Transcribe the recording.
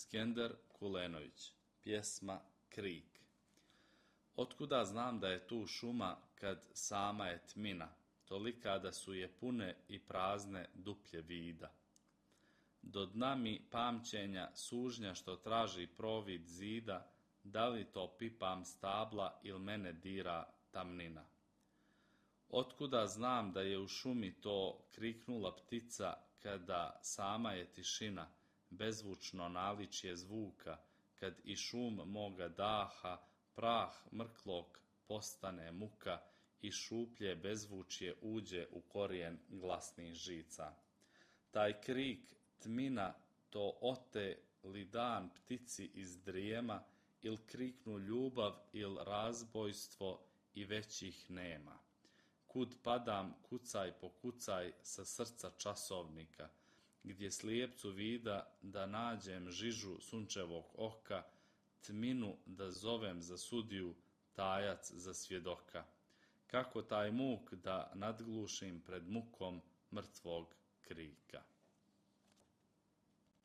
Skender Kulenović. Pjesma Krik. Otkuda znam da je tu šuma kad sama je tmina, tolika da su je pune i prazne duplje vida. Do dna mi pamćenja sužnja što traži provid zida, da li to pipam stabla il mene dira tamnina. Otkuda znam da je u šumi to kriknula ptica kada sama je tišina, bezvučno naličje zvuka, kad i šum moga daha, prah mrklog postane muka i šuplje bezvučje uđe u korijen glasnih žica. Taj krik tmina to ote li dan ptici iz drijema, il kriknu ljubav il razbojstvo i većih nema. Kud padam kucaj po kucaj sa srca časovnika, gdje slijepcu vida da nađem žižu sunčevog oka, tminu da zovem za sudiju, tajac za svjedoka. Kako taj muk da nadglušim pred mukom mrtvog krika.